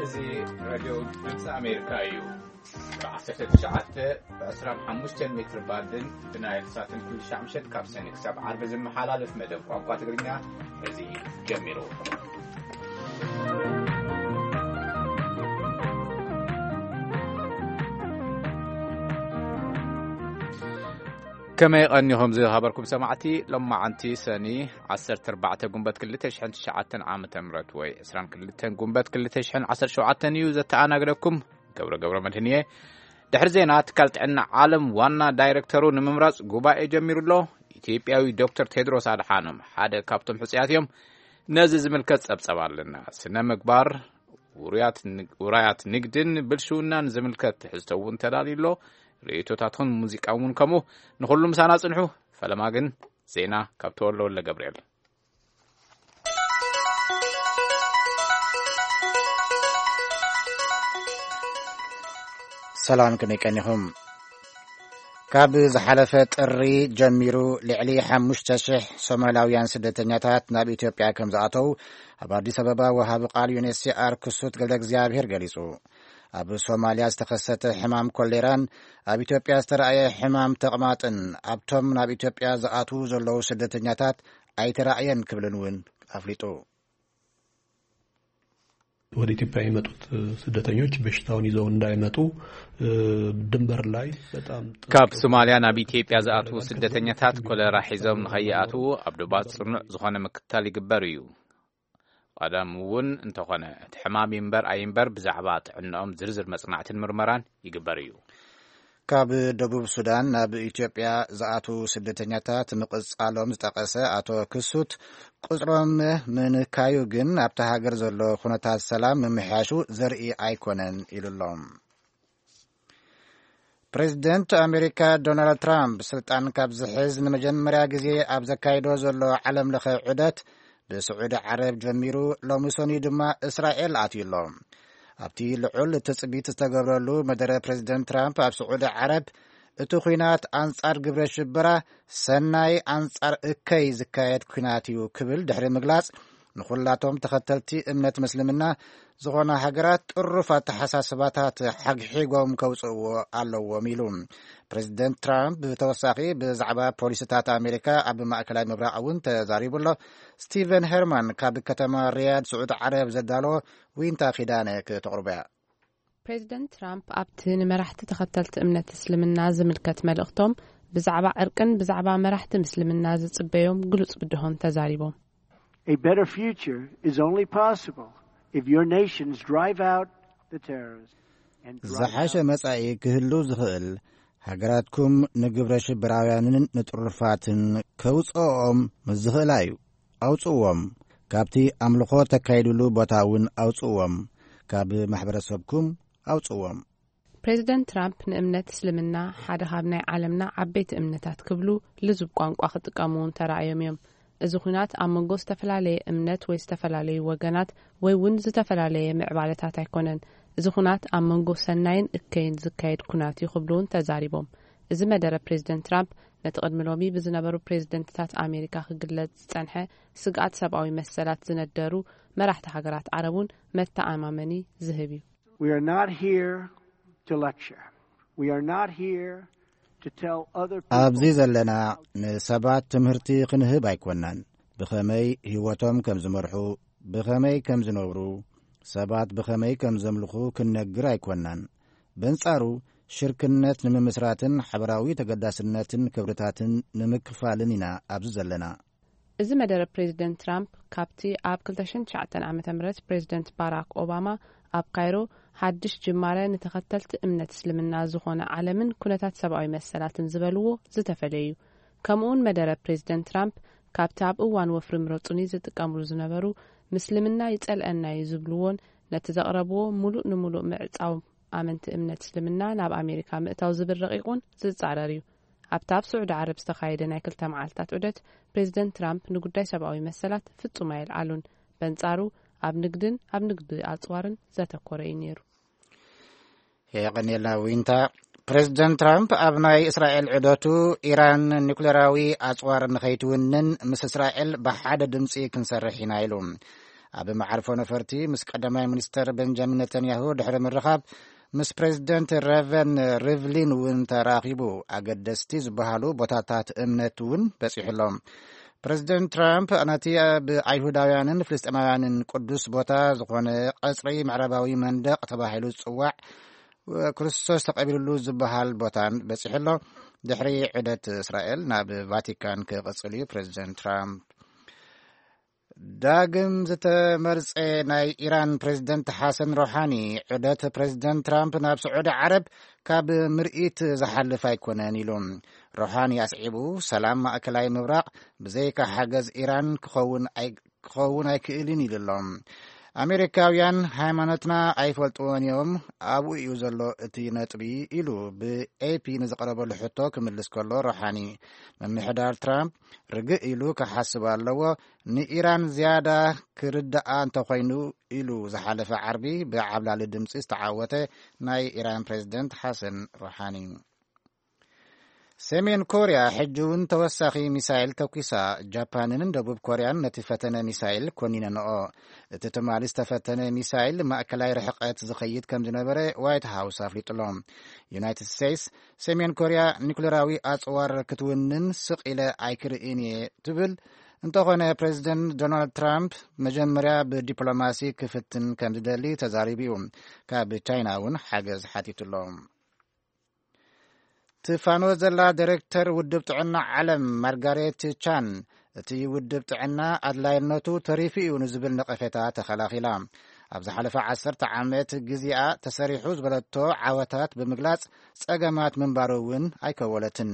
እዚ ሬድዮ ድምፂ ኣሜሪካ እዩ። ብ19 ብ25 ሜትር ባንድን ብናይል ሳትን ኩሉ ሻዕ ምሸት ካብ ሰኒ ክሳብ ዓርቢ ዝመሓላለፍ መደብ ቋንቋ ትግርኛ እዚ ጀሚሩ። ከመይ ቀኒኹም ዝኸበርኩም ሰማዕቲ? ሎማዓንቲ ሰኒ ዓሰርተ ኣርባዕተ ጉንበት ክልተ ሽሕን ትሽዓተን ዓመተ ምህረት ወይ ዕስራን ክልተን ጉንበት ክልተ ሽሕን ዓሰርተ ሸውዓተን እዩ። ዘተኣናግደኩም ገብረ ገብረ መድህን እየ። ድሕሪ ዜና፣ ትካል ጥዕና ዓለም ዋና ዳይሬክተሩ ንምምራጽ ጉባኤ ጀሚሩ ኣሎ። ኢትዮጵያዊ ዶክተር ቴድሮስ ኣድሓኖም ሓደ ካብቶም ሕጹያት እዮም። ነዚ ዝምልከት ጸብጸብ ኣለና። ስነ ምግባር፣ ውሩያት ን-፣ ውራያት ንግድን ብልሽውናን ዝምልከት ትሕዝቶ እውን ተዳልዩ ኣሎ። ርእይቶታትኹን ሙዚቃ እውን ከምኡ። ንኹሉ ምሳና ጽንሑ። ፈለማ ግን ዜና ካብ ተወልደ ወልደ ገብርኤል። ሰላም፣ ከመይ ቀኒኹም? ካብ ዝሓለፈ ጥሪ ጀሚሩ ልዕሊ ሓሙሽተ ሽሕ ሶማላውያን ስደተኛታት ናብ ኢትዮጵያ ከም ዝኣተው ኣብ ኣዲስ ኣበባ ወሃቢ ቃል ዩ ኤን ኤች ሲ ኣር ክሱት ገብረ እግዚኣብሔር ገሊጹ። ኣብ ሶማልያ ዝተኸሰተ ሕማም ኮሌራን ኣብ ኢትዮጵያ ዝተረኣየ ሕማም ተቕማጥን ኣብቶም ናብ ኢትዮጵያ ዝኣትዉ ዘለዉ ስደተኛታት ኣይተራእየን ክብልን እውን ኣፍሊጡ። ወደ ኢትዮጵያ የመጡት ስደተኞች በሽታውን ይዘው እንዳይመጡ ድንበር ላይ በጣም ጥብቅ ካብ ሶማልያ ናብ ኢትዮጵያ ዝኣትዉ ስደተኛታት ኮለራ ሒዞም ንኸይኣትዉ ኣብ ዶባት ጽኑዕ ዝኾነ ምክትታል ይግበር እዩ። ቀደም እውን እንተኾነ እቲ ሕማም ይንበር ኣይንበር ብዛዕባ ጥዕንኦም ዝርዝር መጽናዕትን ምርመራን ይግበር እዩ። ካብ ደቡብ ሱዳን ናብ ኢትዮጵያ ዝኣትዉ ስደተኛታት ምቕጻሎም ዝጠቐሰ ኣቶ ክሱት፣ ቁጽሮም ምንካዩ ግን ኣብታ ሃገር ዘሎ ኩነታት ሰላም ምምሕያሹ ዘርኢ ኣይኮነን ኢሉ ኣሎ። ፕሬዚደንት ኣሜሪካ ዶናልድ ትራምፕ ስልጣን ካብ ዝሕዝ ንመጀመርያ ግዜ ኣብ ዘካይዶ ዘሎ ዓለም ለኸ ዑደት ብስዑዲ ዓረብ ጀሚሩ ሎሚ ሰኑይ ድማ እስራኤል ኣትዩ ኣሎ። ኣብቲ ልዑል ትጽቢት ዝተገብረሉ መደረ ፕሬዚደንት ትራምፕ ኣብ ስዑዲ ዓረብ እቲ ኲናት ኣንጻር ግብረ ሽበራ ሰናይ ኣንጻር እከይ ዝካየድ ኲናት እዩ ክብል ድሕሪ ምግላጽ ንኹላቶም ተኸተልቲ እምነት ምስልምና ዝኾና ሃገራት ጥሩፍ ኣተሓሳስባታት ሓግሒጎም ከውፅእዎ ኣለዎም ኢሉ። ፕሬዚደንት ትራምፕ ብተወሳኺ ብዛዕባ ፖሊሲታት ኣሜሪካ ኣብ ማእከላይ ምብራቕ እውን ተዛሪቡ ኣሎ። ስቲቨን ሄርማን ካብ ከተማ ሪያድ ስዑድ ዓረብ ዘዳለዎ ዊንታ ኪዳነ ክተቕርቦ እያ። ፕሬዚደንት ትራምፕ ኣብቲ ንመራሕቲ ተኸተልቲ እምነት እስልምና ዝምልከት መልእኽቶም ብዛዕባ ዕርቅን ብዛዕባ መራሕቲ ምስልምና ዝጽበዮም ግሉጽ ብድሆን ተዛሪቦም። A better future is only possible if your nations drive out the terrorists and drive ዝሓሸ out መጻኢ ክህሉ ዝኽእል ሃገራትኩም ንግብረ ሽበራውያንን ንጥሩፋትን ከውፅኦም ምስ ዝኽእላ እዩ። ኣውፅዎም። ካብቲ ኣምልኾ ተካይድሉ ቦታ እውን ኣውፅዎም። ካብ ማሕበረሰብኩም ኣውፅዎም። ፕሬዚደንት ትራምፕ ንእምነት እስልምና ሓደ ካብ ናይ ዓለምና ዓበይቲ እምነታት ክብሉ ልዙብ ቋንቋ ክጥቀሙ እውን ተራእዮም እዮም። እዚ ኹናት ኣብ መንጎ ዝተፈላለየ እምነት ወይ ዝተፈላለዩ ወገናት ወይ እውን ዝተፈላለየ ምዕባለታት ኣይኮነን። እዚ ኹናት ኣብ መንጎ ሰናይን እከይን ዝካየድ ኩናት እዩ ክብሉ እውን ተዛሪቦም። እዚ መደረ ፕሬዚደንት ትራምፕ ነቲ ቅድሚ ሎሚ ብዝነበሩ ፕሬዚደንትታት ኣሜሪካ ክግለጽ ዝጸንሐ ስግኣት ሰብኣዊ መሰላት ዝነደሩ መራሕቲ ሃገራት ዓረብ እውን መተኣማመኒ ዝህብ እዩ። We are not here to lecture. We are not here to tell other people ኣብዚ ዘለና ንሰባት ትምህርቲ ክንህብ ኣይኮናን። ብኸመይ ህይወቶም ከም ዝመርሑ፣ ብኸመይ ከም ዝነብሩ፣ ሰባት ብኸመይ ከም ዘምልኹ ክንነግር ኣይኮናን። በንጻሩ ሽርክነት ንምምስራትን ሓበራዊ ተገዳስነትን ክብርታትን ንምክፋልን ኢና ኣብዚ ዘለና። እዚ መደረ ፕሬዚደንት ትራምፕ ካብቲ ኣብ ክልተ ሽሕን ትሽዓተን ዓመተ ምህረት ፕሬዚደንት ባራክ ኦባማ ኣብ ካይሮ ሓድሽ ጅማረ ንተኸተልቲ እምነት እስልምና ዝኾነ ዓለምን ኩነታት ሰብኣዊ መሰላትን ዝበልዎ ዝተፈለየ እዩ። ከምኡውን መደረ ፕሬዚደንት ትራምፕ ካብቲ ኣብ እዋን ወፍሪ ምረጹኒ ዝጥቀምሉ ዝነበሩ ምስልምና ይጸልአና እዩ ዝብልዎን ነቲ ዘቕረብዎ ሙሉእ ንሙሉእ ምዕጻው ኣመንቲ እምነት እስልምና ናብ ኣሜሪካ ምእታው ዝብል ረቂቕ እውን ዝጻረር እዩ። ኣብቲ ኣብ ስዑዲ ዓረብ ዝተኻየደ ናይ ክልተ መዓልታት ዑደት ፕሬዚደንት ትራምፕ ንጉዳይ ሰብኣዊ መሰላት ፍጹም ኣየልዓሉን። በንጻሩ ኣብ ንግድን ኣብ ንግዲ ኣጽዋርን ዘተኮረ እዩ ነይሩ። የቐንየልና ዊንታ። ፕሬዚደንት ትራምፕ ኣብ ናይ እስራኤል ዑደቱ ኢራን ኒኩሌራዊ ኣጽዋር ንኸይትውንን ምስ እስራኤል ብሓደ ድምፂ ክንሰርሕ ኢና ኢሉ። ኣብ መዓርፎ ነፈርቲ ምስ ቀዳማይ ሚኒስተር ቤንጃሚን ነተንያሁ ድሕሪ ምርኻብ፣ ምስ ፕሬዚደንት ረቨን ሪቭሊን እውን ተራኺቡ። ኣገደስቲ ዝበሃሉ ቦታታት እምነት እውን በጺሑ ኣሎ። ፕሬዚደንት ትራምፕ ነቲ ብኣይሁዳውያንን ፍልስጤማውያንን ቅዱስ ቦታ ዝኾነ ቀጽሪ ምዕራባዊ መንደቕ ተባሂሉ ዝጽዋዕ ክርስቶስ ተቐቢሉሉ ዝበሃል ቦታን በጺሑ ኣሎ። ድሕሪ ዑደት እስራኤል ናብ ቫቲካን ክቕጽል እዩ። ፕሬዚደንት ትራምፕ ዳግም ዝተመርጸ ናይ ኢራን ፕሬዚደንት ሓሰን ሮሓኒ፣ ዑደት ፕሬዚደንት ትራምፕ ናብ ስዑዲ ዓረብ ካብ ምርኢት ዝሓልፍ ኣይኮነን ኢሉ። ሮሓኒ ኣስዒቡ፣ ሰላም ማእከላይ ምብራቕ ብዘይካ ሓገዝ ኢራን ክኸውን ኣይ-፣ ክኸውን ኣይክእልን ኢሉ ኣሎ። ኣሜሪካውያን ሃይማኖትና ኣይፈልጥዎን እዮም፣ ኣብኡ እዩ ዘሎ እቲ ነጥቢ፣ ኢሉ ብኤፒ ንዝቐረበሉ ሕቶ ክምልስ ከሎ፣ ሮሓኒ፣ ምምሕዳር ትራምፕ ርግእ ኢሉ ክሓስብ ኣለዎ፣ ንኢራን ዝያዳ ክርድኣ እንተኾይኑ፣ ኢሉ ዝሓለፈ ዓርቢ ብዓብላሊ ድምፂ ዝተዓወተ ናይ ኢራን ፕሬዚደንት ሓሰን ሮሓኒ። ሰሜን ኮርያ ሕጂ እውን ተወሳኺ ሚሳይል ተኲሳ። ጃፓንን ደቡብ ኮርያን ነቲ ፈተነ ሚሳይል ኮኒነንኦ። እቲ ትማሊ ዝተፈተነ ሚሳይል ማእከላይ ርሕቀት ዝኸይድ ከም ዝነበረ ዋይት ሃውስ ኣፍሊጡሎ። ዩናይትድ ስቴትስ፣ ሰሜን ኮርያ ኒኩሌራዊ ኣጽዋር ክትውንን ስቕ ኢለ ኣይክርእን እየ ትብል። እንተኾነ፣ ፕሬዚደንት ዶናልድ ትራምፕ መጀመርያ ብዲፕሎማሲ ክፍትን ከም ዝደሊ ተዛሪቡ እዩ። ካብ ቻይና እውን ሓገዝ ሓቲቱሎ። ትፋኖ ዘላ ዳይሬክተር ውድብ ጥዕና ዓለም ማርጋሬት ቻን፣ እቲ ውድብ ጥዕና ኣድላይነቱ ተሪፉ እዩ ንዝብል ነቐፌታ ተኸላኺላ። ኣብ ዝሓለፈ ዓሰርተ ዓመት ግዜኣ ተሰሪሑ ዝበለቶ ዓወታት ብምግላጽ፣ ጸገማት ምንባሩ እውን ኣይከወለትን።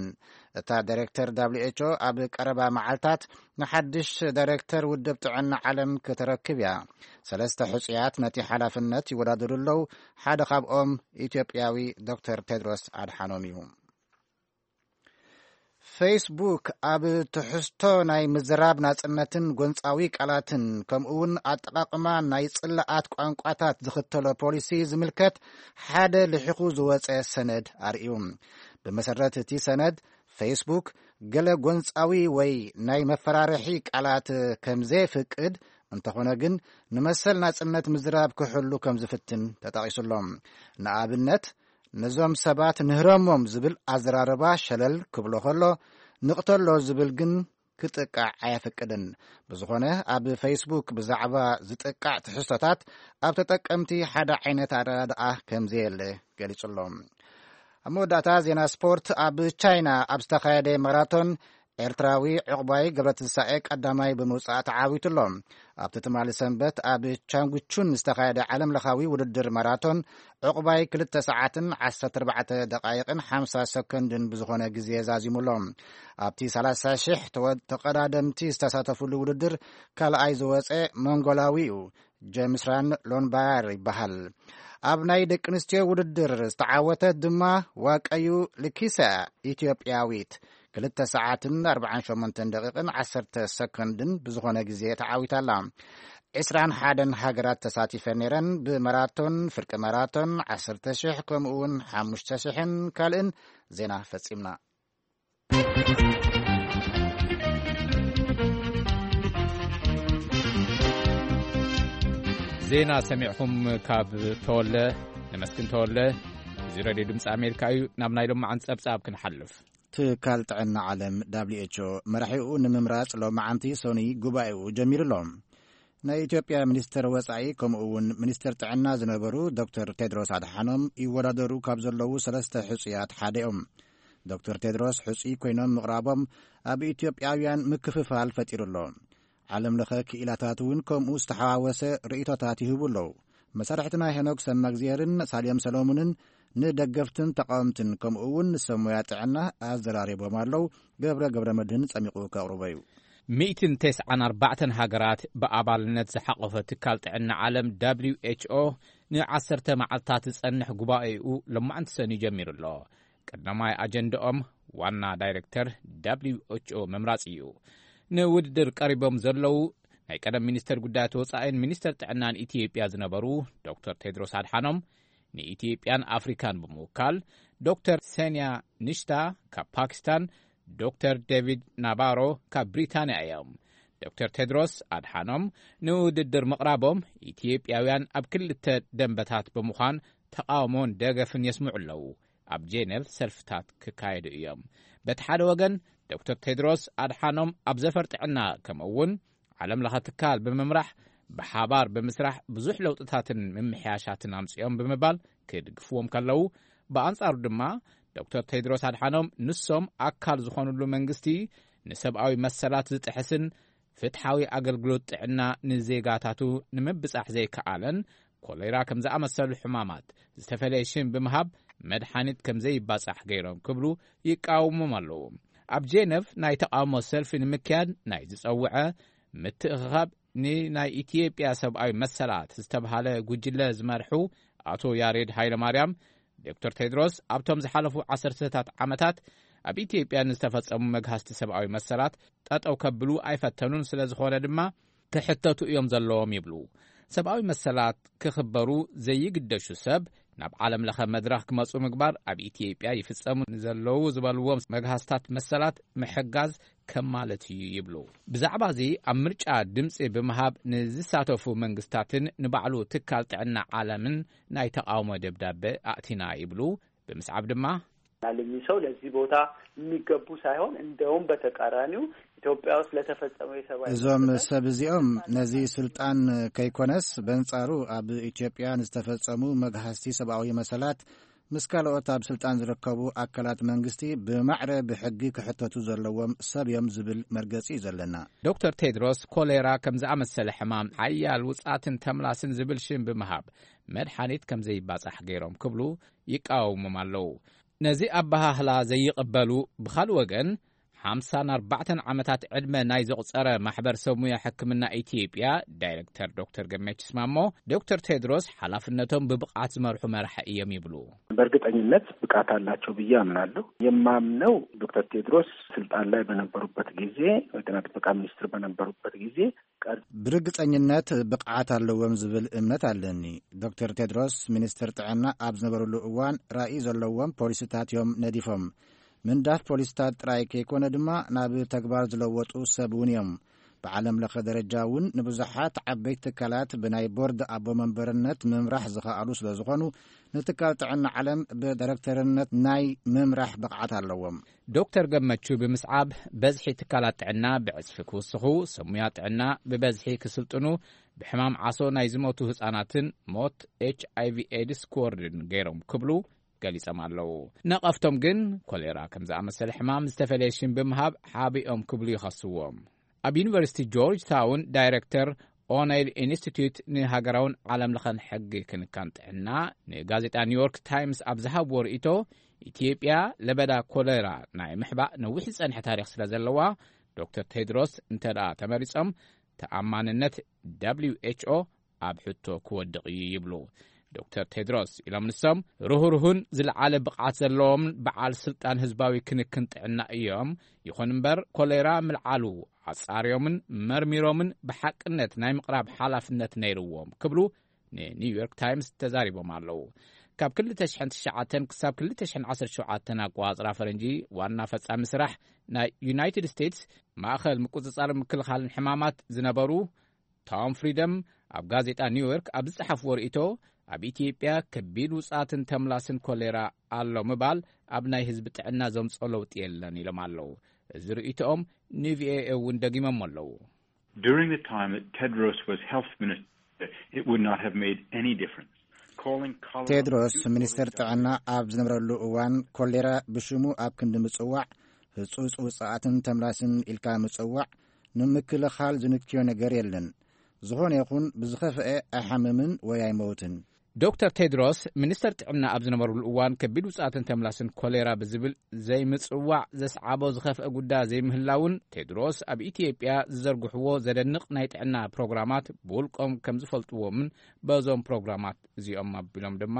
እታ ዳይሬክተር ደብሊው ኤች ኦ ኣብ ቀረባ መዓልታት ንሓድሽ ዳይሬክተር ውድብ ጥዕና ዓለም ከተረክብ እያ። ሰለስተ ሕጹያት ነቲ ሓላፍነት ይወዳደሩ ኣለዉ። ሓደ ካብኦም ኢትዮጵያዊ ዶክተር ቴድሮስ ኣድሓኖም እዩ። ፌስቡክ ኣብ ትሕዝቶ ናይ ምዝራብ ናጽነትን ጎንጻዊ ቃላትን፣ ከምኡውን ኣጠቓቕማ ናይ ጽላኣት ቋንቋታት ዝኽተሎ ፖሊሲ ዝምልከት ሓደ ልሒኹ ዝወጸ ሰነድ ኣርእዩ። ብመሰረት እቲ ሰነድ፣ ፌስቡክ ገለ ጎንጻዊ ወይ ናይ መፈራርሒ ቃላት ከም ዘየፍቅድ፣ እንተኾነ ግን ንመሰል ናጽነት ምዝራብ ክሕሉ ከም ዝፍትን ተጠቒሱሎም። ንኣብነት፣ ነዞም ሰባት ንህረሞም ዝብል ኣዘራርባ ሸለል ክብሎ ከሎ፣ ንቕተሎ ዝብል ግን ክጥቃዕ ኣየፍቅድን። ብዝኾነ፣ ኣብ ፌስቡክ ብዛዕባ ዝጥቃዕ ትሕዝቶታት ኣብ ተጠቀምቲ ሓደ ዓይነት ኣረዳድኣ ከም ዘየለ ገሊጹ ኣሎ። ኣብ መወዳእታ ዜና ስፖርት፣ ኣብ ቻይና ኣብ ዝተኻየደ ማራቶን ኤርትራዊ ዕቑባይ ገብረትንሳኤ ቀዳማይ ብምውጻእ ተዓዊቱ ኣሎ። ኣብቲ ትማሊ ሰንበት ኣብ ቻንጉቹን ዝተኻየደ ዓለም ለኻዊ ውድድር ማራቶን ዕቑባይ ክልተ ሰዓትን ዓሰርተ ኣርባዕተ ደቓይቕን ሓምሳ ሰኮንድን ብዝኾነ ግዜ ዛዚሙ ኣሎ። ኣብቲ ሰላሳ ሽሕ ተወ-፣ ተቐዳደምቲ ዝተሳተፉሉ ውድድር ካልኣይ ዝወጸ መንጎላዊ እዩ። ጀምስ ራን ሎንባያር ይበሃል። ኣብ ናይ ደቂ ኣንስትዮ ውድድር ዝተዓወተት ድማ ዋቀዩ ልኪሳ፣ ኢትዮጵያዊት፣ ክልተ ሰዓትን ኣርባዓን ሸሞንተን ደቂቕን ዓሰርተ ሰኮንድን ብዝኾነ ግዜ ተዓዊታ ኣላ። ዕስራን ሓደን ሃገራት ተሳቲፈን ነይረን። ብማራቶን፣ ፍርቂ ማራቶን፣ ዓሰርተ ሽሕ፣ ከምኡ እውን ሓሙሽተ ሽሕን ካልእን። ዜና ፈጺምና። ዜና ሰሚዕኹም ካብ ተወለ፣ ነመስግን ተወለ። እዚ ሬድዮ ድምፂ ኣሜሪካ እዩ። ናብ ናይ ሎማዓንቲ ጸብጻብ ክንሓልፍ። ትካል ጥዕና ዓለም፣ ደብሊው ኤች ኦ፣ መራሒኡ ንምምራጽ ሎማዓንቲ ሰኑይ ጉባኤኡ ጀሚሩ ኣሎ። ናይ ኢትዮጵያ ሚኒስተር ወጻኢ ከምኡ እውን ሚኒስተር ጥዕና ዝነበሩ ዶክተር ቴድሮስ ኣድሓኖም ይወዳደሩ ካብ ዘለዉ ሰለስተ ሕጹያት ሓደ እዮም። ዶክተር ቴድሮስ ሕጹይ ኮይኖም ምቕራቦም ኣብ ኢትዮጵያውያን ምክፍፋል ፈጢሩ ኣሎ። ዓለም ለኸ ክኢላታት እውን ከምኡ ዝተሓዋወሰ ርእይቶታት ይህቡ ኣለዉ። መሳርሕትና ሄኖክ ሰማግዜርን ሳልዮም ሰሎሙንን ንደገፍትን ተቃወምትን ከምኡ እውን ንሰብ ሞያ ጥዕና ኣዘራሪቦም ኣለዉ። ገብረ ገብረ መድህን ጸሚቑ ከቕርቦ እዩ። ሚእትን ተስዓን ኣርባዕተን ሃገራት ብኣባልነት ዝሓቖፈ ትካል ጥዕና ዓለም ደብሊው ኤች ኦ ንዓሰርተ መዓልታት ዝጸንሕ ጉባኤኡ ሎማዕንቲ ሰኑይ ጀሚሩ ኣሎ። ቀዳማይ ኣጀንዳኦም ዋና ዳይሬክተር ደብሊው ኤች ኦ ምምራጽ እዩ። ንውድድር ቀሪቦም ዘለዉ ናይ ቀደም ሚኒስተር ጉዳያት ወጻኢን ሚኒስተር ጥዕናን ኢትዮጵያ ዝነበሩ ዶክተር ቴድሮስ ኣድሓኖም፣ ንኢትዮጵያን ኣፍሪካን ብምውካል፣ ዶክተር ሰንያ ንሽታ ካብ ፓኪስታን፣ ዶክተር ዴቪድ ናባሮ ካብ ብሪታንያ እዮም። ዶክተር ቴድሮስ ኣድሓኖም ንውድድር ምቕራቦም፣ ኢትዮጵያውያን ኣብ ክልተ ደንበታት ብምዃን ተቓውሞን ደገፍን የስምዑ ኣለዉ። ኣብ ጄኔቭ ሰልፍታት ክካየዱ እዮም። በቲ ሓደ ወገን፣ ዶክተር ቴድሮስ ኣድሓኖም ኣብ ዘፈር ጥዕና፣ ከምኡ እውን ዓለም ለኸ ትካል ብምምራሕ፣ ብሓባር ብምስራሕ ብዙሕ ለውጥታትን ምምሕያሻትን ኣምፅኦም ብምባል ክድግፍዎም ከለዉ፣ ብኣንጻሩ ድማ ዶክተር ቴድሮስ ኣድሓኖም ንሶም ኣካል ዝኾኑሉ መንግስቲ ንሰብኣዊ መሰላት ዝጥሕስን ፍትሓዊ ኣገልግሎት ጥዕና ንዜጋታቱ ንምብጻሕ ዘይከኣለን ኮሌራ ከም ዝኣመሰሉ ሕማማት ዝተፈለየ ሽም ብምሃብ መድሓኒት ከም ዘይባጻሕ ገይሮም ክብሉ ይቃወሞም ኣለዉ። ኣብ ጄነቭ ናይ ተቃውሞ ሰልፊ ንምክያድ ናይ ዝጸውዐ ምትእኽኻብ ንናይ ኢትዮጵያ ሰብኣዊ መሰላት ዝተብሃለ ጉጅለ ዝመርሑ ኣቶ ያሬድ ሃይለማርያም፣ ዶክተር ቴድሮስ ኣብቶም ዝሓለፉ ዓሰርተታት ዓመታት ኣብ ኢትዮጵያ ንዝተፈጸሙ መግሃስቲ ሰብኣዊ መሰላት ጠጠው ከብሉ ኣይፈተኑን፣ ስለ ዝኾነ ድማ ክሕተቱ እዮም ዘለዎም ይብሉ። ሰብኣዊ መሰላት ክኽበሩ ዘይግደሹ ሰብ ናብ ዓለም ለኸ መድረኽ ክመጹ ምግባር፣ ኣብ ኢትዮጵያ ይፍጸሙ ንዘለዉ ዝበልዎም መግሃስታት መሰላት ምሕጋዝ ከም ማለት እዩ ይብሉ። ብዛዕባ እዚ ኣብ ምርጫ ድምጺ ብምሃብ ንዝሳተፉ መንግስታትን ንባዕሉ ትካል ጥዕና ዓለምን ናይ ተቃውሞ ደብዳበ ኣእቲና ይብሉ። ብምስዓብ ድማ ናልሚ ሰው ለዚህ ቦታ የሚገቡ ሳይሆን እንደውም በተቃራኒው ኢትዮጵያ ውስጥ ለተፈጸመው የሰብአዊ እዞም መሰላት ሰብ እዚኦም ነዚ ስልጣን ከይኮነስ በንጻሩ ኣብ ኢትዮጵያ ንዝተፈጸሙ መግሃስቲ ሰብኣዊ መሰላት ምስ ካልኦት ኣብ ስልጣን ዝርከቡ ኣካላት መንግስቲ ብማዕረ ብሕጊ ክሕተቱ ዘለዎም ሰብ እዮም ዝብል መርገጺ እዩ ዘለና። ዶክተር ቴድሮስ ኮሌራ ከም ዝኣመሰለ ሕማም ሓያል ውጻትን ተምላስን ዝብል ሽም ብምሃብ መድሓኒት ከም ዘይባጻሕ ገይሮም ክብሉ ይቃወሞም ኣለዉ። ነዚ ኣበሃህላ ዘይቕበሉ ብኻልእ ወገን ሓምሳን ኣርባዕተን ዓመታት ዕድመ ናይ ዘቑጸረ ማሕበር ሰብ ሙያ ሕክምና ኢትዮጵያ ዳይሬክተር ዶክተር ገመችስ ማሞ፣ ዶክተር ቴድሮስ ሓላፍነቶም ብብቕዓት ዝመርሑ መራሒ እዮም ይብሉ። በእርግጠኝነት ብቃት አላቸው ብዬ አምናለሁ። የማምነው ዶክተር ቴድሮስ ስልጣን ላይ በነበሩበት ጊዜ፣ የጤና ጥበቃ ሚኒስትር በነበሩበት ጊዜ ቀር- ብርግጸኝነት ብቕዓት ኣለዎም ዝብል እምነት ኣለኒ። ዶክተር ቴድሮስ ሚኒስትር ጥዕና ኣብ ዝነበሩሉ እዋን ራእይ ዘለዎም ፖሊሲታት እዮም ነዲፎም። ምንዳፍ ፖሊሲታት ጥራይ ከይኮነ ድማ ናብ ተግባር ዝለወጡ ሰብ እውን እዮም። ብዓለም ለኸ ደረጃ እውን ንብዙሓት ዓበይቲ ትካላት ብናይ ቦርድ ኣቦ መንበርነት ምምራሕ ዝኸኣሉ ስለ ዝኾኑ፣ ንትካል ጥዕና ዓለም ብዳይሬክተርነት ናይ ምምራሕ ብቕዓት ኣለዎም። ዶክተር ገመቹ ብምስዓብ፣ በዝሒ ትካላት ጥዕና ብዕጽፊ ክውስኹ፣ ሰብ ሙያ ጥዕና ብበዝሒ ክስልጥኑ፣ ብሕማም ዓሶ ናይ ዝሞቱ ህጻናትን ሞት ኤች ኣይ ቪ ኤድስ ክወርድን ገይሮም ክብሉ ገሊጾም ኣለዉ። ነቐፍቶም ግን ኮሌራ ከም ዝኣመሰለ ሕማም ዝተፈለየ ሽም ብምሃብ ሓቢኦም ክብሉ ይኸስዎም። ኣብ ዩኒቨርሲቲ ጆርጅ ታውን ዳይሬክተር ኦነይል ኢንስቲትዩት ንሃገራውን ዓለም ለኸን ሕጊ ክንካን ጥዕና ንጋዜጣ ኒውዮርክ ታይምስ ኣብ ዝሃብዎ ርእይቶ፣ ኢትዮጵያ ለበዳ ኮሌራ ናይ ምሕባእ ነዊሕ ዝጸንሐ ታሪኽ ስለ ዘለዋ፣ ዶክተር ቴድሮስ እንተ ደኣ ተመሪጾም፣ ተኣማንነት ደብሊው ኤች ኦ ኣብ ሕቶ ክወድቕ እዩ ይብሉ። ዶክተር ቴድሮስ ኢሎም ንሶም ርህሩህን ዝለዓለ ብቕዓት ዘለዎም በዓል ስልጣን ህዝባዊ ክንክን ጥዕና እዮም። ይኹን እምበር ኮሌራ ምልዓሉ ኣጻርዮምን መርሚሮምን ብሓቅነት ናይ ምቕራብ ሓላፍነት ነይርዎም ክብሉ ንኒውዮርክ ታይምስ ተዛሪቦም ኣለዉ። ካብ ክልተ ሽሕን ትሽዓተን ክሳብ ክልተ ሽሕን ዓሰርተ ሸውዓተን ኣቆጻጽራ ፈረንጂ ዋና ፈጻሚ ስራሕ ናይ ዩናይትድ ስቴትስ ማእኸል ምቁጽጻር ምክልኻልን ሕማማት ዝነበሩ ቶም ፍሪደም ኣብ ጋዜጣ ኒውዮርክ ኣብ ዝጸሓፍዎ ርእይቶ፣ ኣብ ኢትዮጵያ ከቢድ ውጽኣትን ተምላስን ኮሌራ ኣሎ ምባል ኣብ ናይ ህዝቢ ጥዕና ዘምጽኦ ለውጢ የለን ኢሎም ኣለዉ። እዚ ርእይቶኦም ንቪኦኤ እውን ደጊሞም ኣለዉ። During the time that Tedros was health minister, it would not have made any difference. Calling cholera ቴድሮስ ሚኒስትር ጥዕና ኣብ ዝነበረሉ እዋን ኮሌራ ብሽሙ ኣብ ክንዲ ምጽዋዕ፣ ህጹጽ ውጽኣትን ተምላስን ኢልካ ምጽዋዕ ንምክልኻል ዝንክዮ ነገር የለን። ዝኾነ ይኹን ብዝኸፍአ ኣይሓምምን ወይ ኣይመውትን። ዶክተር ቴድሮስ ሚኒስተር ጥዕና ኣብ ዝነበሩሉ እዋን ከቢድ ውጽኣትን ተምላስን ኮሌራ ብዝብል ዘይምጽዋዕ ዘስዓቦ ዝኸፍአ ጉዳይ ዘይምህላውን ቴድሮስ ኣብ ኢትዮጵያ ዝዘርግሕዎ ዘደንቕ ናይ ጥዕና ፕሮግራማት ብውልቆም ከም ዝፈልጥዎምን በዞም ፕሮግራማት እዚኦም ኣቢሎም ድማ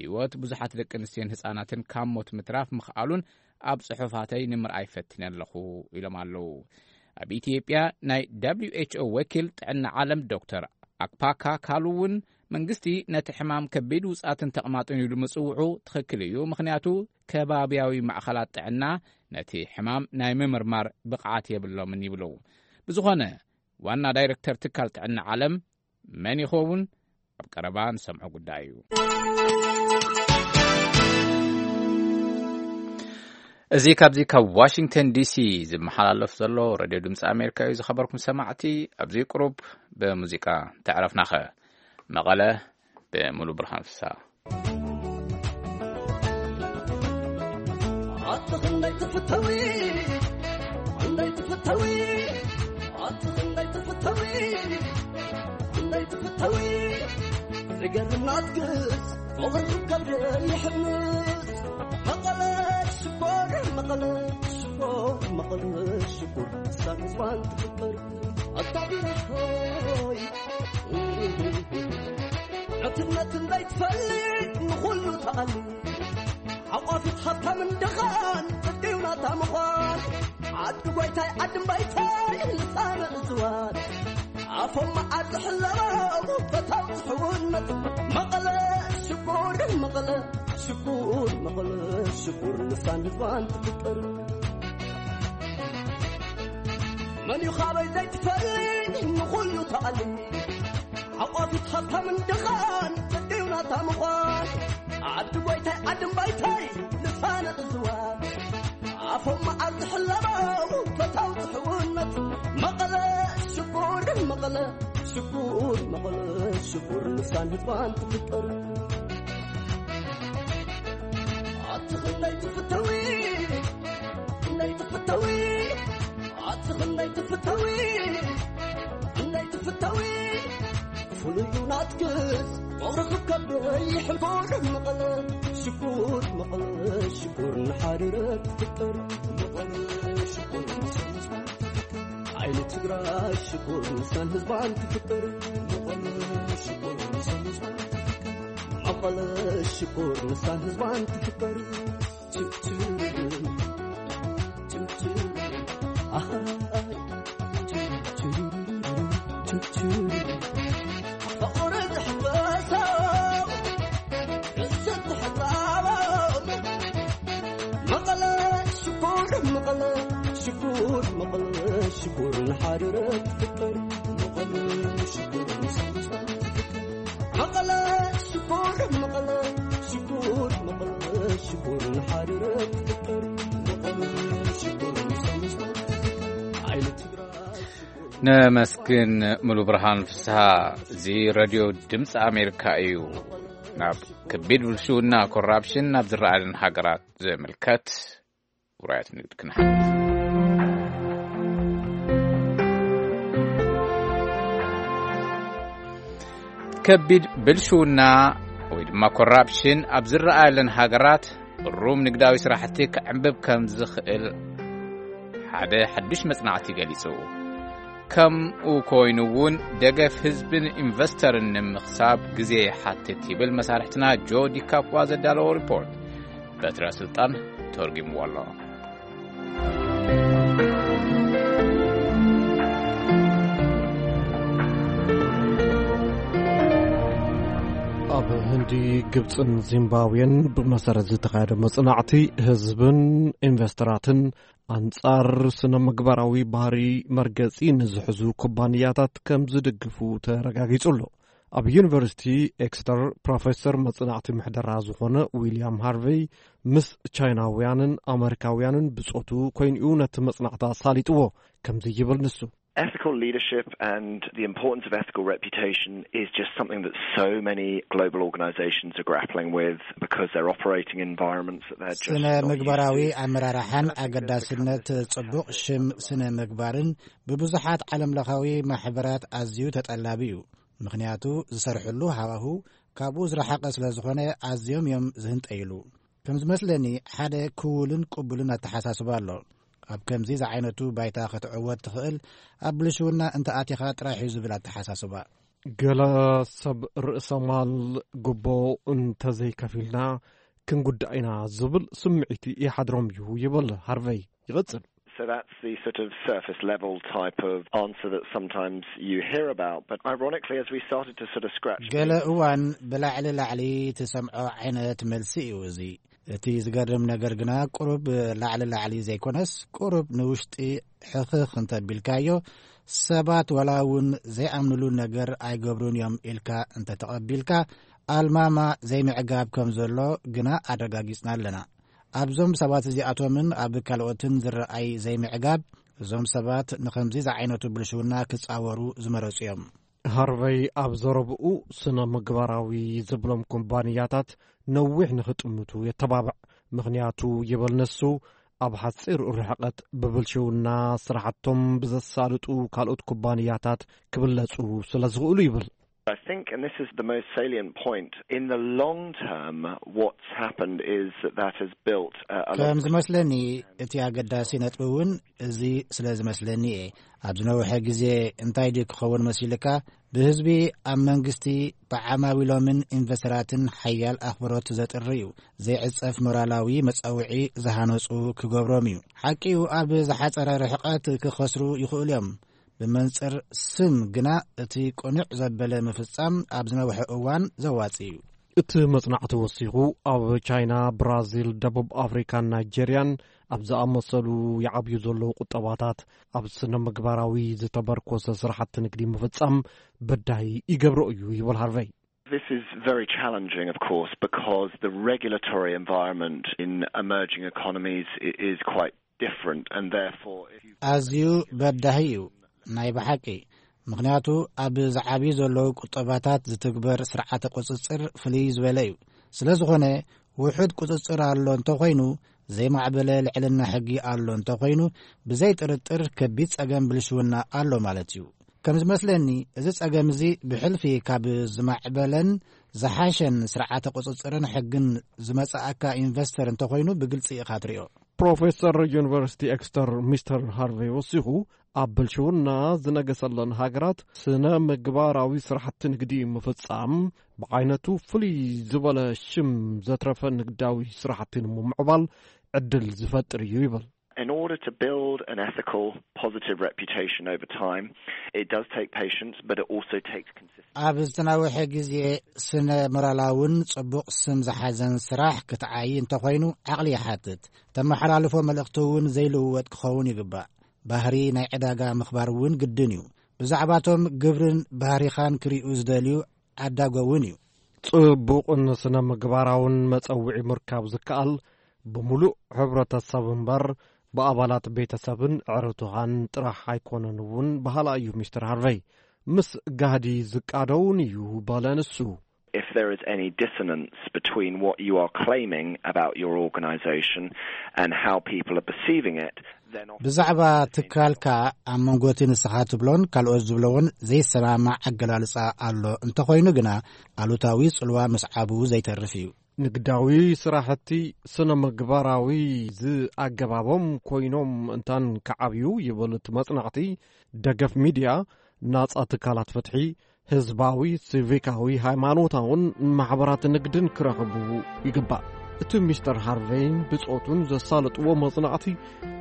ህይወት ብዙሓት ደቂ ኣንስትዮን ህጻናትን ካብ ሞት ምትራፍ ምኽኣሉን ኣብ ጽሑፋተይ ንምርኣይ ፈቲነ ኣለኹ ኢሎም ኣለዉ። ኣብ ኢትዮጵያ ናይ ደብሊው ኤች ኦ ወኪል ጥዕና ዓለም ዶክተር ኣክፓካ ካሉ እውን መንግስቲ ነቲ ሕማም ከቢድ ውጻትን ተቕማጥን ኢሉ ምጽውዑ ትኽክል እዩ፣ ምኽንያቱ ከባብያዊ ማእኸላት ጥዕና ነቲ ሕማም ናይ ምምርማር ብቕዓት የብሎምን ይብሉ። ብዝኾነ ዋና ዳይረክተር ትካል ጥዕና ዓለም መን ይኸውን? ኣብ ቀረባ ንሰምዖ ጉዳይ እዩ። እዚ ካብዚ ካብ ዋሽንግተን ዲሲ ዝመሓላለፍ ዘሎ ሬድዮ ድምፂ ኣሜሪካ እዩ። ዝኸበርኩም ሰማዕቲ፣ ኣብዚ ቁሩብ ብሙዚቃ ተዕረፍናኸ። መቐለ ብሙሉ ብርሃን ፍሳ። ኣቲ ክንደይ ትፍተዊ፣ ክንደይ ትፍተዊ፣ ኣቲ ክንደይ ትፍተዊ፣ ክንደይ ትፍተዊ። ዝገርም ናትክስ ፍቕርኪ ከብደይ ይሕምስ። መቐለ ሽኮር፣ መቐለ ሽኮር፣ መቐለ ሽኮር፣ ሳንዝዋን ትፍጠር። ኣታ ቢራ ሆይ፣ ዕትነትን ዘይትፈልጥ ንኹሉ ተኣሊ። ሓቋፊት ሃብታምን ድኻን ጽድቅዩ ናታ ምዃን። ዓዲ ጓይታይ ዓዲ እምባይታይ ልሳነ እዝዋን። ኣፎም መዓር ዝሕለቦም ፈታው ዝሕውነት። መቐለ ሽኮር፣ መቐለ ሽኮር፣ መቐለ ሽኮር፣ ልሳን ህዝባን ትፍቅር። መን እዩ ካበይ ዘይትፈልጥ ንኹሉ ተኣሊ። ሓቋፊት ሃብታምን ድኻን ጽድቅዩ ናታ ምዃን። ዓዲ ጓይታይ ዓዲ እምባይታይ ልሳነ እዝዋን። ኣፎም መዓር ዝሕለቦም ፈታው ዝሕውነት። መቐለ ሽኮር፣ መቐለ ሽኮር፣ መቐለ ሽኮር፣ ልሳን ህዝባን ትፍቅር። ኣቲ ክንደይ ትፍተዊ፣ ክንደይ ትፍተዊ፣ ኣቲ ክንደይ ትፍተዊ፣ ክንደይ ትፍተዊ። ፍሉይ እዩ ናትክስ ፍቕርኺ ከብደይ ይሕንኮር። መቐለ ሽኮር፣ መቐለ ሽኮር፣ ንሓሪረ ትፍጠር። መቐለ ሽኮር፣ ንሰንዝዋ ትፍጠር። ዓይኒ ትግራይ ሽኮር፣ ንሳን ህዝባን ትፍጠር። መቐለ ሽኮር፣ ንሳን ህዝባን ትፍጠር። መቐለ ሽኮር፣ ንሳን ህዝባን ትፍጠር። ችርችር፣ ችርችር፣ ኣሃይ፣ ችርችር፣ ችርችር። ፍቕሪ ዝሕበሶ፣ ርእሲ ትሕጻቦ። መቐለ ሽኮር፣ መቐለ ሽኮር፣ መቐለ ሽኮር፣ ንሓሪረ ትፍጠር። መቐለ ሽኮር፣ ንሳን ህዝባን ትፍጠር። መቐለ ሽኮር፣ መቐለ ሽኮር፣ መቐለ ሽኮር፣ ንሓሪረ ትፍጠር። መቐለ ሽኮር፣ ንሳን ህዝባን ትፍጠር። ዓይኒ ትግራይ ሽኮር። ነመስግን ሙሉ ብርሃን ፍስሃ። እዚ ሬድዮ ድምፂ ኣሜሪካ እዩ። ናብ ከቢድ ብልሽውና፣ ኮራፕሽን፣ ናብ ዝረኣየለን ሃገራት ዝምልከት ውራያት ንግድ ክንሓልፍ። ከቢድ ብልሽውና ወይ ድማ ኮራፕሽን ኣብ ዝረኣየለን ሃገራት ሩም ንግዳዊ ስራሕቲ ክዕንብብ ከም ዝኽእል ሓደ ሓዱሽ መጽናዕቲ ገሊጹ። ከምኡ ኮይኑ እውን ደገፍ ህዝብን ኢንቨስተርን ንምኽሳብ ግዜ ይሓትት ይብል መሳርሕትና ጆ ዲካፖ ዘዳለዎ ሪፖርት። በትረ ስልጣን ተርጉምዎ ኣሎ። ኣብ ህንዲ፣ ግብጽን ዚምባብዌን ብመሰረት ዝተኻየደ መጽናዕቲ፣ ህዝብን ኢንቨስተራትን ኣንጻር ስነ ምግባራዊ ባህሪ መርገጺ ንዝሕዙ ኩባንያታት ከም ዝድግፉ ተረጋጊጹ ኣሎ። ኣብ ዩኒቨርሲቲ ኤክስተር ፕሮፌሰር መጽናዕቲ ምሕደራ ዝኾነ ዊልያም ሃርቨይ፣ ምስ ቻይናውያንን ኣመሪካውያንን ብጾቱ ኮይኑ'ዩ ነቲ መጽናዕቲ ኣሳሊጥዎ። ከምዚ ይብል ንሱ። Ethical leadership and the importance of ethical reputation is just something that so many global organizations are grappling with because they're operating in environments that they're just ስነ not used ምግባራዊ to. ኣመራርሓን ኣገዳስነት ጽቡቕ ሽም ስነ ምግባርን ብብዙሓት ዓለምለኻዊ ማሕበራት ኣዝዩ ተጠላቢ እዩ። ምኽንያቱ ዝሰርሕሉ ሃዋሁ ካብኡ ዝረሓቐ ስለ ዝኾነ ኣዝዮም እዮም ዝህንጠይሉ። ከም ዝመስለኒ ሓደ ክውልን ቅቡልን ኣተሓሳስባ ኣሎ። ኣብ ከምዚ ዝዓይነቱ ባይታ ክትዕወት ትኽእል ኣብ ብልሽውና እንተ ኣቲኻ ጥራሕ እዩ ዝብል ኣተሓሳስባ። ገለ ሰብ ርእሰ ማል ጉቦ እንተዘይከፊልና ክንጉዳእ ኢና ዝብል ስምዒት ይሓድሮም እዩ ይብል ሃርቨይ። ይቕጽል። So that's the sort of surface level type of answer that sometimes you hear about. But ironically, as we started to sort of scratch ገለ እዋን ብላዕሊ ላዕሊ ትሰምዖ ዓይነት መልሲ እዩ እዚ። እቲ ዝገርም ነገር ግና ቁሩብ ላዕሊ ላዕሊ ዘይኮነስ ቁሩብ ንውሽጢ ሕኽኽ እንተቢልካዮ ሰባት ዋላ እውን ዘይኣምንሉ ነገር ኣይገብሩን እዮም ኢልካ እንተተቐቢልካ፣ ኣልማማ ዘይምዕጋብ ከም ዘሎ ግና ኣረጋጊጽና ኣለና። ኣብዞም ሰባት እዚኣቶምን ኣብ ካልኦትን ዝረኣይ ዘይምዕጋብ፣ እዞም ሰባት ንኸምዚ ዝዓይነቱ ብልሽውና ክጻወሩ ዝመረጹ እዮም። ሃርቨይ ኣብ ዘረብኡ፣ ስነ ምግባራዊ ዝብሎም ኩባንያታት ነዊሕ ንኽጥምቱ የተባብዕ። ምኽንያቱ፣ ይበል ንሱ፣ ኣብ ሓጺር ርሕቀት ብብልሽውና ስራሕቶም ብዘሳልጡ ካልኦት ኩባንያታት ክብለጹ ስለ ዝኽእሉ ይብል። I think, and this is the most salient point, in the long term, what's happened is that that has built a, a lot ከም of ዝመስለኒ፣ እቲ ኣገዳሲ ነጥቢ እውን እዚ ስለ ዝመስለኒ እየ። ኣብ ዝነውሐ ግዜ እንታይ ድዩ ክኸውን መሲልካ? ብህዝቢ፣ ኣብ መንግስቲ፣ ብዓማዊሎምን ኢንቨስተራትን ሓያል ኣኽብሮት ዘጥሪ እዩ። ዘይዕጸፍ ሞራላዊ መጻውዒ ዝሃነጹ ክገብሮም እዩ። ሓቂኡ፣ ኣብ ዝሓጸረ ርሕቀት ክኸስሩ ይኽእሉ እዮም። ብመንጽር ስም ግና፣ እቲ ቅኑዕ ዘበለ ምፍጻም ኣብ ዝነውሐ እዋን ዘዋጽእ እዩ። እቲ መጽናዕቲ ወሲኹ፣ ኣብ ቻይና፣ ብራዚል፣ ደቡብ ኣፍሪካን ናይጄርያን ኣብ ዝኣመሰሉ ይዓብዩ ዘለዉ ቁጠባታት፣ ኣብ ስነ ምግባራዊ ዝተመርኮሰ ስራሕቲ ንግዲ ምፍጻም በዳሂ ይገብሮ እዩ ይብል ሃርቨይ። This is very challenging, of course, because the regulatory environment in emerging economies i- is quite different, and therefore, if you ኣዝዩ በዳሂ እዩ። ናይ ብሓቂ። ምኽንያቱ፣ ኣብ ዝዓብዩ ዘለዉ ቁጠባታት ዝትግበር ስርዓተ ቁጽጽር ፍልይ ዝበለ እዩ። ስለ ዝኾነ፣ ውሑድ ቁጽጽር ኣሎ እንተኾይኑ፣ ዘይማዕበለ ልዕልና ሕጊ ኣሎ እንተኾይኑ፣ ብዘይ ጥርጥር ከቢድ ጸገም ብልሽውና ኣሎ ማለት እዩ። ከም ዝመስለኒ፣ እዚ ጸገም እዚ ብሕልፊ ካብ ዝማዕበለን ዝሓሸን ስርዓተ ቁጽጽርን ሕግን ዝመጽኣካ ኢንቨስተር እንተኾይኑ፣ ብግልጺ ኢኻ ትሪኦ። ፕሮፌሰር ዩኒቨርሲቲ ኤክስተር ሚስተር ሃርቨይ ወሲኹ፣ ኣብ ብልሽውና ዝነገሰለን ሃገራት ስነ ምግባራዊ ስራሕቲ ንግዲ ምፍጻም፣ ብዓይነቱ ፍልይ ዝበለ ሽም ዘትረፈ ንግዳዊ ስራሕቲ ንምምዕባል ዕድል ዝፈጥር እዩ ይብል። In order to build an ethical, positive reputation over time, it does take patience, but it also takes consistency. ኣብ ዝተናውሐ ግዜ ስነ ሞራላውን ጽቡቕ ስም ዝሓዘን ስራሕ ክትዓይ እንተኾይኑ፣ ዓቕሊ ይሓትት። ተመሓላልፎ መልእኽቲ እውን ዘይልውወጥ ክኸውን ይግባእ። ባህሪ ናይ ዕዳጋ ምኽባር እውን ግድን እዩ። ብዛዕባቶም ግብርን ባህሪኻን ክርእዩ ዝደልዩ ዓዳጎ እውን እዩ። ጽቡቕን ስነ ምግባራውን መጸውዒ ምርካብ ዝከኣል፣ ብምሉእ ሕብረተሰብ እምበር፣ ብኣባላት ቤተሰብን ዕርቱኻን ጥራሕ ኣይኮነን እውን በሃላ እዩ ሚስተር ሃርቨይ። ምስ ጋህዲ ዝቃደውን እዩ በለ ንሱ። If there is any dissonance between what you are claiming about your organization and how people are perceiving it, then obviously ብዛዕባ ትካልካ ኣብ መንጎ እቲ ንስኻ ትብሎን ካልኦት ዝብለዎን ዘይሰማማዕ ኣገላልጻ ኣሎ እንተኾይኑ ግና፣ ኣሉታዊ ጽልዋ ምስዓቡ ዘይተርፍ እዩ። ንግዳዊ ስራሕቲ ስነ ምግባራዊ ዝኣገባቦም ኮይኖም እንታን ክዓብዩ ይብል እቲ መጽናዕቲ፣ ደገፍ ሚድያ፣ ናጻ ትካላት ፍትሒ፣ ህዝባዊ፣ ሲቪካዊ፣ ሃይማኖታውን ማሕበራት ንግድን ክረኽቡ ይግባእ። እቲ ሚስተር ሃርቬይን ብጾቱን ዘሳለጥዎ መጽናዕቲ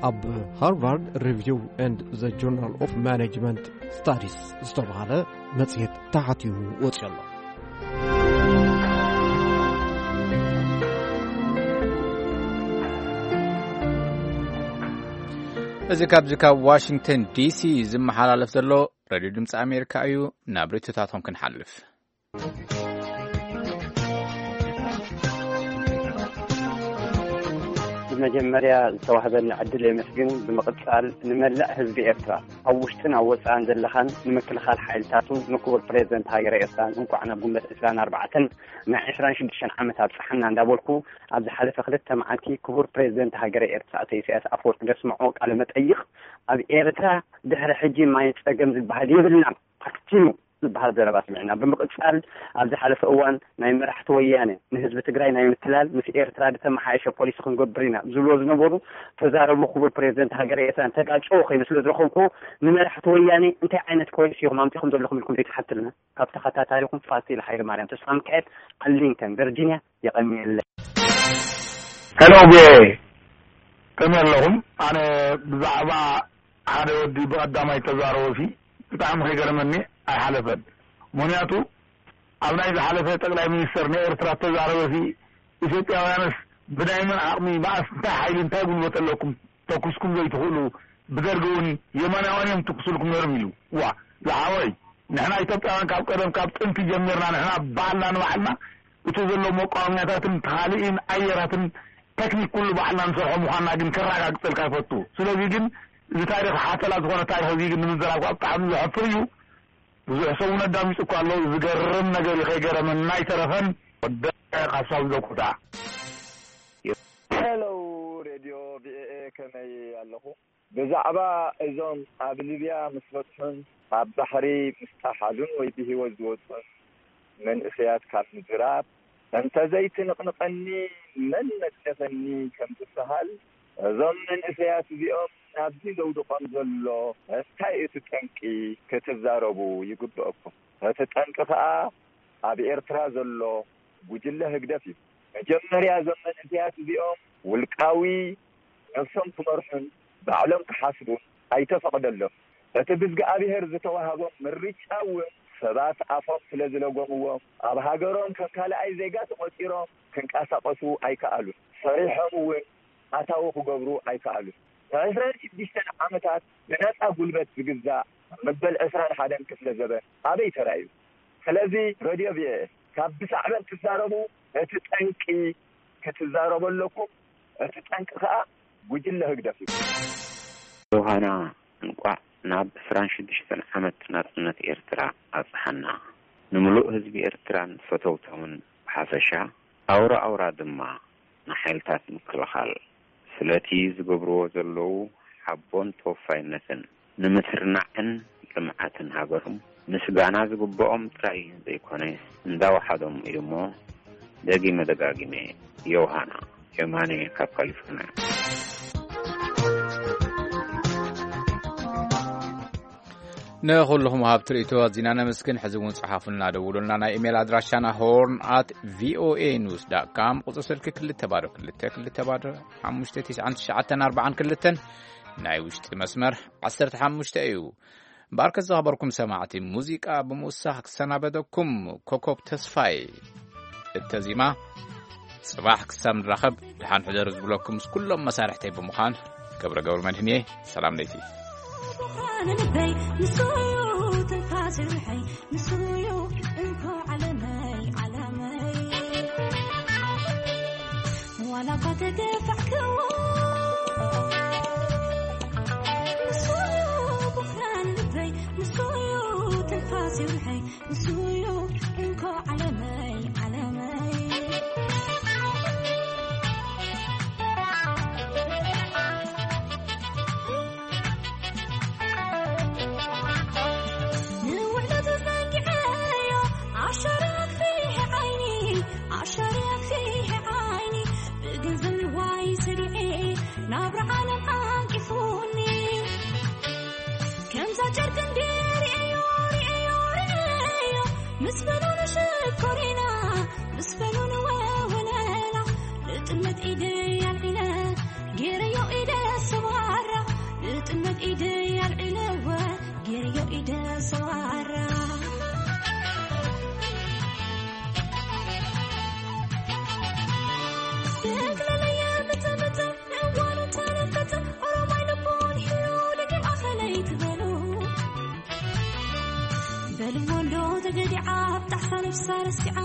ኣብ ሃርቫርድ ሪቪው ኤንድ ዘ ጆርናል ኦፍ ማኔጅመንት ስታዲስ ዝተባህለ መጽሔት ተሓቲሙ ወጺኡ ኣሎ። እዚ ካብዚ ካብ ዋሽንግተን ዲሲ ዝመሓላለፍ ዘሎ ሬድዮ ድምፂ ኣሜሪካ እዩ። ናብ ርእይቶታቶም ክንሓልፍ። ብመጀመርያ ዝተዋህበኒ ዕድል የመስግን። ብምቕጻል ንመላእ ህዝቢ ኤርትራ፣ ኣብ ውሽጥን ኣብ ወጻእን ዘለኻን፣ ንምክልኻል ሓይልታቱን ንክቡር ፕሬዝደንት ሃገረ ኤርትራን እንቋዕ ናብ ጉንበት ዕስራን ኣርባዕተን ናይ ዕስራን ሽዱሽተን ዓመት ኣብጽሓና እንዳበልኩ፣ ኣብ ዝሓለፈ ክልተ መዓልቲ ክቡር ፕሬዝደንት ሃገረ ኤርትራ ኣቶ ኢሳያስ ኣፈወርቂ ዘስምዖ ቃለ መጠይቕ፣ ኣብ ኤርትራ ድሕሪ ሕጂ ማይ ጸገም ዝበሃል የብልናን፣ ኣክቲሙ ዝበሃል ዘረባ ስሚዕና። ብምቕጻል፣ ኣብ ዝሓለፈ እዋን ናይ መራሕቲ ወያነ ንህዝቢ ትግራይ ናይ ምትላል፣ ምስ ኤርትራ ዝተመሓየሸ ፖሊሲ ክንገብር ኢና ዝብልዎ ዝነበሩ ተዛረቡ ክቡር ፕሬዝደንት ሃገረ ኤርትራን ተጋጨው ኮይኑ ስለ ዝረኸብኩ፣ ንመራሕቲ ወያነ እንታይ ዓይነት ፖሊሲ ኢኹም ኣምጺኹም ዘለኹም ኢልኩም ዘይትሓትልና? ካብ ተኸታታሊኹም ፋሲል ሃይለማርያም ተስፋሚካኤል፣ ኣርሊንግተን ቨርጂንያ። የቐንየለይ። ሄሎ፣ ቪኦኤ፣ ከመይ ኣለኹም? ኣነ ብዛዕባ ሓደ ወዲ ብቐዳማይ ተዛረቦሲ ብጣዕሚ ከይገረመኒ ኣይሓለፈን። ምኽንያቱ፣ ኣብ ናይ ዝሓለፈ ጠቕላይ ሚኒስተር ናይ ኤርትራ ተዛረበሲ፣ ኢትዮጵያውያንስ ብናይ መን ዓቕሚ፣ መኣስ፣ እንታይ ሓይሊ፣ እንታይ ጉልበት ኣለኩም፣ ተኩስኩም ዘይትኽእሉ፣ ብደርጊ እውን የማናውያን እዮም ትኩሱልኩም ነይሮም ኢሉ። ዋ ዝሓወይ፣ ንሕና ኢትዮጵያውያን ካብ ቀደም ካብ ጥንቲ ጀሚርና ንሕና ባዕልና ንባዕልና እቲ ዘሎ መቋወምያታትን ተኻሊእን ኣየራትን ቴክኒክ ኩሉ ባዕልና ንሰርሖ ምዃንና ግን ከረጋግጸልካ ይፈቱ። ስለዚ ግን እዚ ታሪኽ ሓተላ ዝኾነ ታሪኽ እዚ ግን ንምዝራብ ከዓ ብጣዕሚ ዘሕፍር እዩ። ብዙሕ ሰብ እውን ኣዳሚፁ እኳ ኣሎ። ዝገርም ነገር እዩ። ከይገረመና ኣይተረፈን። ወደ ካብ ሳብ ዘኩታ ሄሎ ሬድዮ ቪኦኤ ከመይ ኣለኹ? ብዛዕባ እዞም ኣብ ሊብያ ምስ በጽሑን ኣብ ባሕሪ ምስ ጠሓሉን ወይ ብህይወት ዝወጹን መንእሰያት ካብ ምዝራብ እንተዘይትንቕንቐኒ መን መጽደፈኒ ከም ዝበሃል፣ እዞም መንእሰያት እዚኦም ናብዚ ዘውድቖም ዘሎ እንታይ እቲ ጠንቂ ክትዛረቡ ይግበኣኩም። እቲ ጠንቂ ከኣ ኣብ ኤርትራ ዘሎ ጉጅለ ህግደፍ እዩ። መጀመርያ እዞም መንእሰያት እዚኦም ውልቃዊ ነብሶም ክመርሑን ባዕሎም ክሓስቡን ኣይተፈቕደሎም። እቲ ብእዝግኣብሄር ዝተዋህቦም ምርጫ እውን ሰባት ኣፎም ስለ ዝለጎምዎም ኣብ ሃገሮም ከም ካልኣይ ዜጋ ተቖጺሮም ክንቀሳቐሱ ኣይከኣሉን። ሰሪሖም እውን ኣታዊ ክገብሩ ኣይከኣሉን። ንዕስራን ሽዱሽተን ዓመታት ብነጻ ጉልበት ዝግዛእ መበል ዕስራን ሓደን ክፍለ ዘበን ኣበይ ተራእዩ? ስለዚ ረድዮ ቪኦኤ ካብ ብሳዕበን ትዛረቡ እቲ ጠንቂ ክትዛረቡ ኣለኩም። እቲ ጠንቂ ከኣ ጉጅለ ህግደፍ እዩ። ዮሃና እንቋዕ ናብ ዕስራን ሽዱሽተን ዓመት ናጽነት ኤርትራ ኣብጽሓና። ንምሉእ ህዝቢ ኤርትራን ፈተውቶምን ብሓፈሻ ኣውራ ኣውራ ድማ ንሓይልታት ምክልኻል ስለቲ ዝገብርዎ ዘለዉ ሓቦን ተወፋይነትን ንምትርናዕን ልምዓትን ሃገሮም ምስጋና ዝግብኦም ጥራይ ዘይኮነ እንዳወሓዶም እዩሞ ደጊመ ደጋጊመ ዮውሃና የማነ ካብ ካሊፎርንያ። ንኹልኹም ወሃብቲ ርእይቶ ኣዚና ነመስግን። ሕዚ እውን ጸሓፉልና፣ ደውሉልና። ናይ ኢሜይል ኣድራሻና ሆርን ኣት ቪኦኤ ኒውስ ዳት ካም፣ ቁጽሪ ስልኪ ክልተ ባዶ ክልተ ክልተ ባዶ ሓሙሽተ ትሽዓን ትሽዓተን ኣርባዓን ክልተን፣ ናይ ውሽጢ መስመር ዓሰርተ ሓሙሽተ እዩ። እምበኣርከስ ዝኸበርኩም ሰማዕቲ፣ ሙዚቃ ብምውሳኽ ክሰናበደኩም ኮኮብ ተስፋይ እተዚማ። ጽባሕ ክሳብ ንራኸብ ደሓን ሕደሩ ዝብለኩም ምስ ኩሎም መሳርሕተይ ብምዃን ገብረ ገብረ መድህን እየ። ሰላም ለይቲ። ብርሃን ልበይ ንሱዩ ትንፋስ ርሕይ ንሱዩ እንኮ ዓለመይ ዓለመይ ዋላ እኳ ተገፋዕክዎ ንሱዩ ብርሃን ልበይ ንሱዩ ትንፋስ ርሕይ ንሱዩ እንኮ ዓለመይ ዓለመይ ንውዕለቱ ዘንጊዐዮ ኣሻራ ክፊሕ ዓይኒ ኣሻራ ክፊሕ ዓይኒ ብገንዘብ ንዋይ ሰዲዐ ናብራ ዓለም ዓንቂፉኒ ከምዛ ጨርቂ እንዲ ርእዮ ርእዮ ርእዮ ምስ በሉን ሽኮሪና ምስ በሉን ወወለላ ንጥመት ኢደይ ኣልዒለ ገይረዮ ኢደ ሰባራ ንጥመት ኢደይ ኣልዒለወ ገይረዮ ኢደ ሰባራ ብእግለለየ ምጥምጥ እዋኑ ተነፈተ ኦሮማይ ልቦን ሂሉ ደቂ ማእኸለይ ትበሉ በልዎ እንዶ ተገዲዓ ኣብ ጣሕሳ ነብሳ ረሲዓ